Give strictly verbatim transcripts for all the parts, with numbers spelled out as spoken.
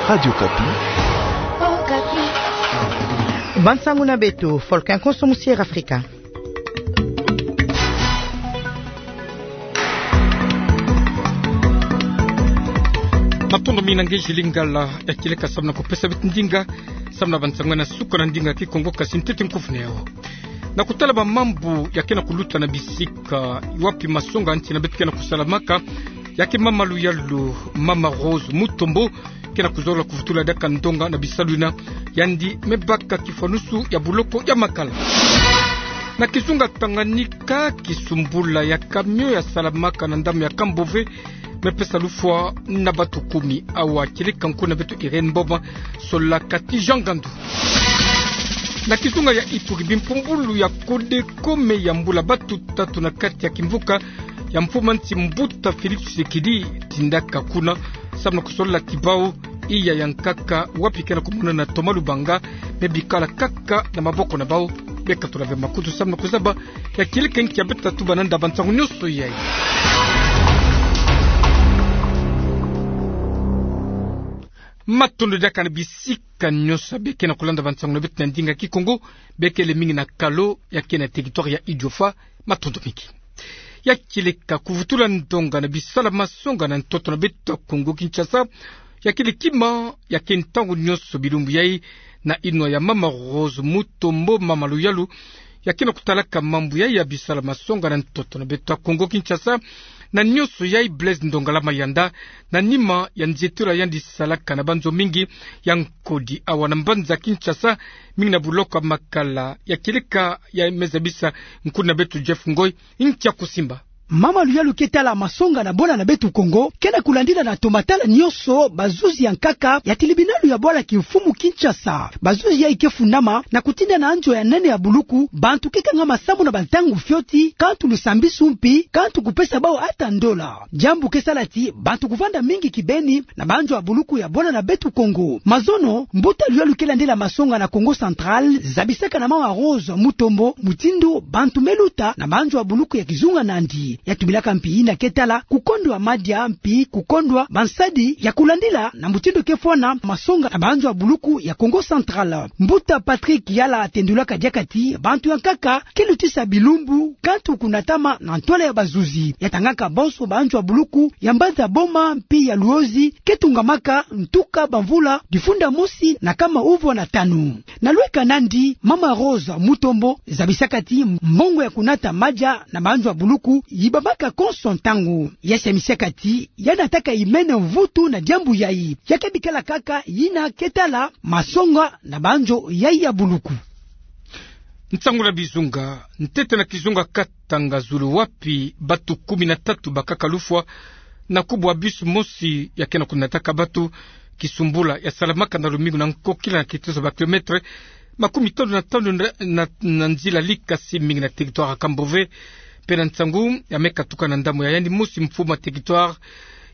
Radio Okapi. Bansangu na beto, Folkin Konso, Musier Afrika. Matondo mingi na ngeji Lingala ya kieleka samu na kupesa beto ndinga samu na bansangu ya suka na ndinga Kikongo, kasi ntete nkufi na yo. Na kutala bamambu ya ke na kuluta na bisika wapi masonga ya nsi na beto ke na kusalamaka, ya ke mama Luyalu, mama Rose Mutombo, ke na kuzololo kuvutula diaka ndonga na bisalu yina, yandi me baka kifwanusu ya buloko ya Makala. Na kizunga Tanganyika, kisumbula ya camion ya salamaka na ndambu ya Kambove me pesa lufwa na bato kumi. Awa kieleka nkuna beto Irène Mboma, solaka ti Jean Gandu. Na kizunga ya Ituri, bimpumbulu ya Codeco me yambula bato tatu na kati ya kimvuka ya mfumu ya nsi mbuta Félix Tshisekedi, tindaka kuna samu na kusolola ti bau iya ya nkaka wapi ke na kumonana na Thomas Lubanga, me bikala kaka na maboko na bau. Beka tula ve makutu samu na kuzaba ya kieleka nki ya beto ta tuba na nda bansangu nyonso yayi. Matondo diaka na bisika nyonso be ke na kulanda bansangu na beto na ndinga Kikongo, be kele mingi na Kalo, ya ke na territoire ya Idiofa. Matondo mingi. Ya kieleka kuvutula ndonga na bisala masonga na ntoto na beto Kongo Kinshasa, ya kele kima ya ke ntangu nyonso bilumbu yayi na inwa ya mama Rose Mutombo, mama Luyalu, ya ke na kutalaka mambu yayi ya bisala masonga na ntoto na beto Kongo Kinshasa. Na nyonso yayi, Blaise Ndongala Mayanda, na nima ya nzietolo ya yandi, salaka na banzo mingi ya nkodi awa na mbanza Kinshasa, mingi na buloko ya Makala. Ya kieleka ya me zabisa nkuna beto Jeff Ngoy nki ya kusimba. Mama Luyalu, ke tala masonga na bwala na beto Kongo ke na kulandila na tomatala nyonso bazuzi ya nkaka ya tilibinalu ya bwala kimfumu Kinshasa. Bazuzi yayi ke fundama na kutinda na nzo ya nene ya buluku bantu ke kanga masamu na bantangu fioti, kantu lusambisu mpi kantu kupesa bau ata ndola. Diambu ke sala ti bantu kuvanda mingi kibeni na banzo ya buluku ya bwala na beto Kongo. Mazono, mbuta Luyalu ke landila masonga na Kongo Central, zabisaka na mama Rose Mutombo mutindu bantu me luta na banzo ya buluku ya kizunga nandi. Ya tubilaka mpi yina ke tala kukondwa madia mpi kukondwa bansadi ya kulandila na mutindu ke fwana masonga na banzo ya buluku ya Kongo Central. Mbuta Patrick Yala tendulaka diaka ti bantu ya nkaka ke lutisa bilumbu kantu kunatama na ntwala ya bazuzi. Ya tangaka bonso banzo ya buluku ya mbanza Boma mpi ya Luozi ke tungamaka ntuka bamvula difunda mosi na kama uvwa na tanu. Na lweka nandi, mama Rose Mutombo zabisaka ti mbongo ya kunata madia na banzo ya buluku yibamaka konso ntangu. Ya siamisaka ti ya nataka yimene mvutu na diambu yayi. Ya ke bikala kaka yina ke tala masonga na banzo yayi ya buluku. Nsangu na bizunga, ntete na kizunga Katanga-Zulu, wapi bato kumi na tatu bakaka lufwa na kubwa bus mosi ya ke na kunataka bato, kisumbula ya salamaka na lumingu na nkokila na kiteso ba kilometre makumi tanu na tanu na, na, na nzila Likasi, mingi na territoire ya Kambove. Mpe na nsangu ya me katuka na ndambu ya yandi mosi mfumu ya territoire,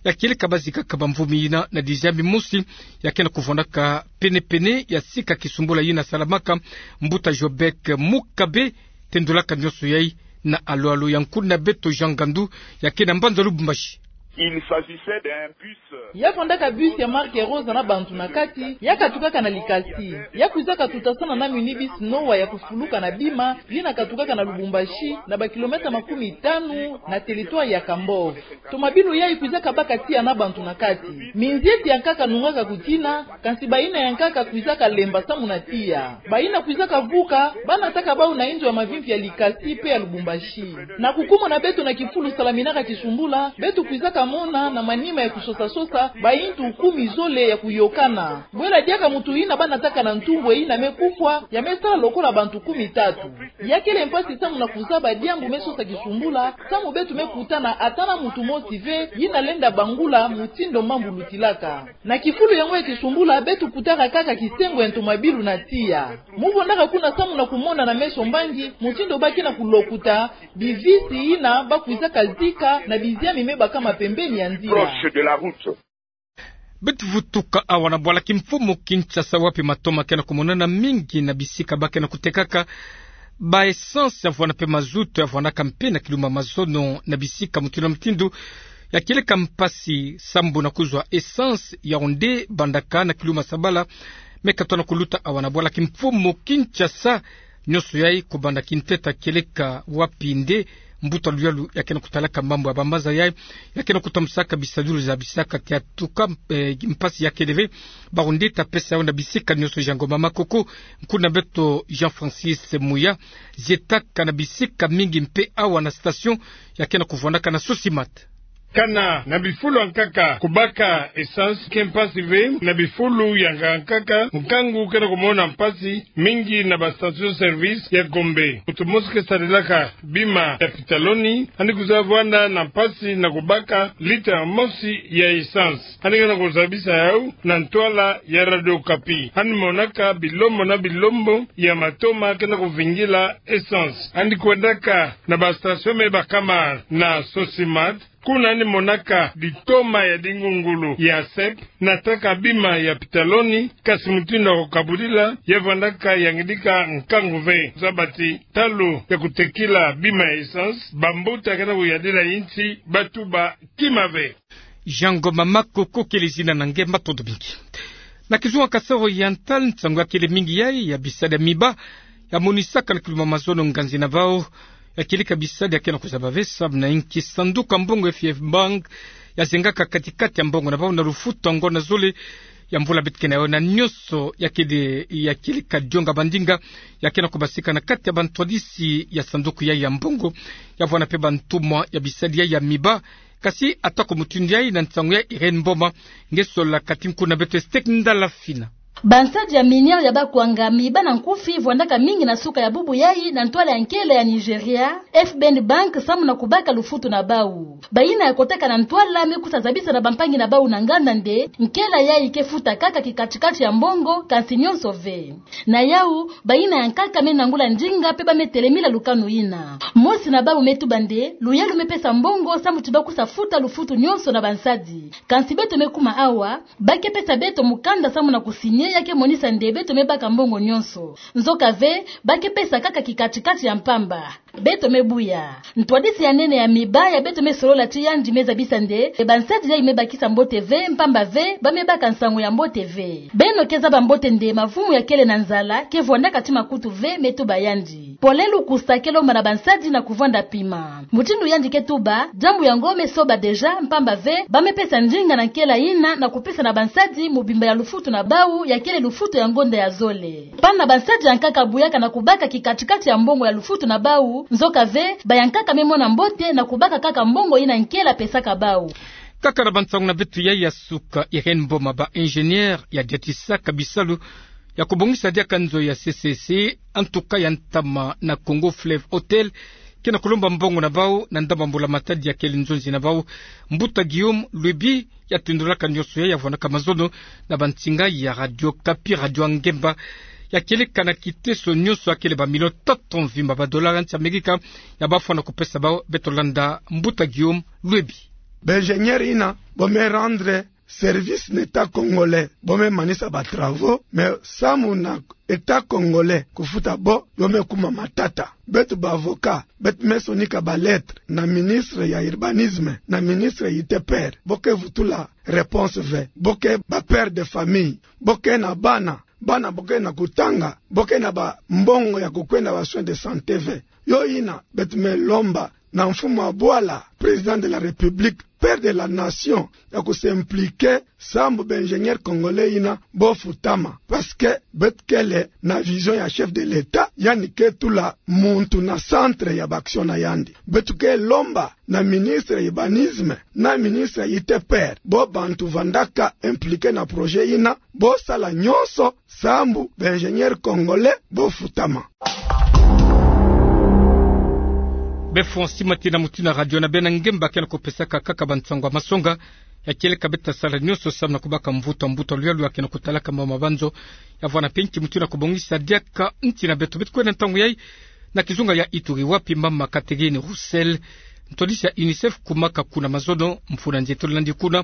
ya kieleka ba zikaka bamvumi yina na dixième mosi ya ke na kuvwandaka pene-pene ya sika kisumbula yina salamaka. Mbuta Jobek Mukabe tendulaka nyonso yayi na alu-alu ya nkuna beto Jean Gandu, ya ke na mbanza Lubumbashi. Il s'agissait d'un bus. Ya vwandaka bus ya marque Rosa na bantu na kati, ya katukaka na Likasi. Ya kwizaka tutasana na minibus Noah ya kufuluka na Bima, yina katukaka na Lubumbashi, na ba kilomètre makumi tanu na territoire ya Kambove. Tomabilu yayi kwizaka baka tiya na bantu na kati. Minzieti ya nkaka nungaka kutina, kansi bayina ya nkaka kwizaka lemba samu na tiya. Bayina kwizaka vuka, ba nataka bau na inzo ya mavimpi ya Likasi mpe ya Lubumbashi. Na kukumuna beto na kifulu salaminaka kisumbula, beto kwizaka mona na manima ya kusosa-sosa bayintu kumi zole ya kuyokana. Bwela diaka muntu yina ba nataka na ntumbu yina me kufwa, ya me sala lokola bantu kumi tatu. Ya kele mpasi samu na kuzaba diambu me sosa kisumbula, samu beto me kutana ata na muntu mosi ve yina lenda bangula mutindu mambu lutilaka. Na kifulu yango ya kisumbula, beto kutaka kaka kisengo ya ntomabilu na tiya. Mu vwandaka kuna samu na kumona na meso mbangi mutindu ba ke na kulokuta bivisi yina ba kwizaka zika na biziami me bakama pembeni ya nzila. Proche de la route. Beto vutuka awa na bwala kimfumu Kinshasa, wapi matoma ke na kumonana mingi na bisika ba ke na kutekaka ba essence ya vwanda mpe mazutu ya vwandaka mpe na kilumbu ya mazono na bisika mutindu na mutindu. Ya kieleka mpasi sambu na kuzwa essence, Yaoundé bandaka na Kiloulou-Masabala, me katona kuluta awa na bwala Kimfumu Kinshasa. Nionso yayi kubanda kinteta kieleka wapi nde mbuta luyalu ya kena kutalaka mambu ya bamaza yayi, ya kena kutambusaka bisadulu zabisaka tia tuka, eh, mpasi ya kele ve, Baoundé ta pesa yawu na bisika nionso. Jean Ngoma Makoko, nkuna beto Jean Francis Muya, zietaka na bisika mingi mpe awa na station ya kena kuvwandaka na Sosimat. Kana na bifulu ya nkaka kubaka essence ke mpasi ve, na bifulu ya nkaka nkangu kena kumona mpasi mingi na ba station service ya Gombe. Moto mosi ke salelaka bima ya pitaloni, yandi kwiza vwanda na mpasi na kubaka litre mosi ya essence. Yandi kena kuzabisa yawu na ntwala ya Radio Okapi. Yandi monaka bilombo na bilombo ya matoma kena kuvingila essence. Yandi kwendaka na ba station me bakama na Sosimat. Kuna yandi monaka bitoma ya dingungulu ya sep, nataka bima ya pitaloni, kasi mutindu ya kukabulila, ya vwandaka yangidika nkangu ve. Zabati talo ya kutekila bima ya essence, bambuta kena kuyadila insi, batuba kima ve. Jean Ngoma Makoko kele zina na nge, matondo mingi. Na kizunga Kasai Oriental, nsangu ya kele mingi yayi ya bisadi ya miba ya monisaka na kiluma mazono nganzi na bawu. Ya kieleka bisadi ya kena kuzaba ve samu na inki sanduku ya mbongo F F Bank ya zengaka kati-kati ya mbongo na bawu na lufutu ya ngonda zole ya mvula beto ke na yawu. Na nionso ya kele, ya kieleka dionga bandinga ya kena kubasika na kati ya bantwadisi ya sanduku yayi ya mbongo, ya vwanda mpe bantumwa ya bisadi yayi ya miba. Kasi atako mutindu yayi, na nsangu ya Irène Mboma, nge solola kati nkuna beto Estec Ndalafina. Bansadi ya minière ya bakwanga miba na nkufi vwandaka mingi na suka ya bubu yayi na ntwala ya nkele ya Nigeria, F B N Bank, samu na kubaka lufutu na bawu. Bayina ya kotaka na ntwala me kwiza zabisa na bampangi na bawu na nganda nde nkele yayi ke futa kaka kikati-kati ya mbongo, kansi nionso ve. Na yawu, bayina ya nkaka me nangula ndinga mpe ba me telemila lukanu yina. Mosi na bawu me tuba nde luyalu me pesa mbongo samu ti ba kwiza futa lufutu nionso na bansadi. Kansi beto me kuma awa, ba ke pesa beto mukanda samu na kusigner, ya ke monisa nde beto me baka mbongo nionso. Nzoka ve, ba ke pesa kaka kikati-kati ya mpamba. Beto me buya. Ntwadisi ya nene ya miba ya beto me solola ti yandi me zabisa nde, e, bansadi yayi me bakisa mbote ve, mpamba ve, ba me baka nsangu ya mbote ve. Beno ke zaba mbote nde mavumu ya kele na nzala ke vwandaka ti makutu ve, me tuba yandi. Pole lukusa ke lomba na bansadi na kuvwanda pima. Mutindu yandi ke tuba, diambu yango me soba déjà, mpamba ve, ba me pesa ndinga na nkele yina na kupesa na bansadi mobimba ya lufutu na bawu, ya kele lufutu ya ngonda ya zole. Pana bansadi ya nkaka buyaka na kubaka kikati-kati ya mbongo ya lufutu na bawu, nzoka ve, bayankaka me mona mbote na kubaka kaka mbongo yina nkele apesaka bawu. Kaka na bansangu na beto yayi ya suka, Irène Mboma, ba ingénieur ya diatisaka bisalu ya kubongisa diaka nzo ya C C C, en tout cas ya ntama na Congo Fleuve Hôtel, ke na kulomba mbongo na bawu na ndambu ya mbula-matadi ya kele nzonzi na bawu. Mbuta Guillaume Lwebi ya tendolaka nionso yayi, ya vwandaka mazono na bansinga ya Radio Okapi, Radio ya Ngemba. Ya kieleka na kiteso nionso ya kele ba million tatu mvimba ba dollars ya nsi Amerika, ya bafwana kupesa bawu. Beto landa Mbuta Guillaume Lwebi. Ba ingénieur yina bo me rendre service na État congolais, bo me manisa ba travaux, mais samu na État congolais kufuta bo, yo me kuma matata. Beto ba avocat, beto me sonika ba lettre na ministre ya urbanisme, na ministre ya I T P R. Bo ke vutula réponse ve. Bo ke ba père de famille, bo ke na bana, bana bo ke na kutanga, bo ke na ba mbongo ya kukwenda ba soins de santé ve. Yo yina beto me lomba na mfumu ya bwala, président de la République, père de la nation, ya ku s'impliquer sambu ba ingénieur congolais yina bo futama. Parce que beto kele na vision ya chef de l'État, yandi ke tula muntu na centre ya ba action na yandi. Beto ke lomba na ministre ya urbanisme, na ministre ya I T P R, bo bantu vandaka impliquer na projet yina, bo sala nionso sambu ba ingénieur congolais bo futama. Befo nsi mati na mutu na radio na beno na Ngemba, ke na kupesaka kaka bansangu ya masonga. Ya kieleka beto ta sala nionso samu na kubaka mvutu ya mbuta luyalu ya ke na kutalaka mambu ya mabanzo, ya vwanda mpe nki mutu na kubongisa diaka nsi na beto. Beto kwenda ntangu yayi na kizunga ya Ituri, wapi mama Catherine Roussel, ntwadisi ya UNICEF, kumaka kuna mazono. Mfunu nzieto landi kuna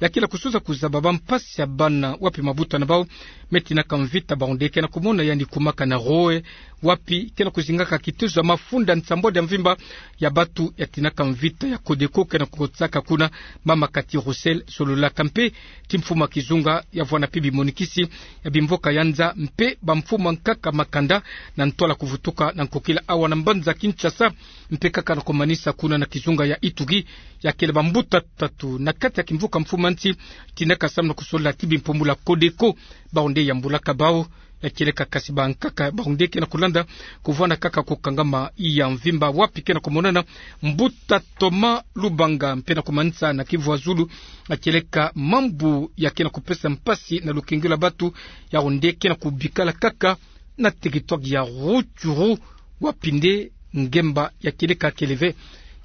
ya ke na kusuza kuzaba bampasi ya bana wapi mabuta na bau me tinaka mvita, baro nde ke na kumona yandi kumaka na roe, wapi ke na kuzingaka kitezo ya mafunda nsambwadi ya mvimba ya batu ya tinaka mvita ya Codeco ke na kukotisaka kuna. Mama Cathy Roussel sololaka mpe ti mfumu ya kizunga ya vwanda mpe bimonikisi ya bimvoka ya nza mpe bamfumu ya nkaka makanda na ntwala kuvutuka na nkokila awa na mbanza Kinshasa, mpe kaka na kumanisa kuna na kizunga ya Ituri, ya kele bambuta tatu na kati ya kimvuka mfumu ya nsi, tinaka samu na kusolola ti bimpumbulu ya Codeco, baro nde yambulaka bau. Ya kieleka kasi bankaka baro nde ke na kulanda kuvwanda kaka kukangama ya mvimba, wapi ke na kumonana mbuta Thomas Lubanga mpe na kumanisa na kivwazulu, ya kieleka mambu ya ke na kupesa mpasi na lukengelo ya batu, yaro nde ke na kubikala kaka na territoire ya Rutshuru, wapi nde ngemba ya kieleka kele ve.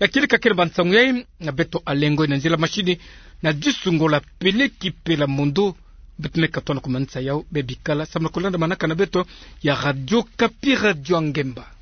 Ya kieleka kele bansangu yai, na beto Alengo, na nzila mashini na Disungola Peleki Pela Mondo. Beto me katoa na kumanisa yau, bebikala samu na kulanda manaka na beto ya Radio Okapi, Radio ya Ngemba.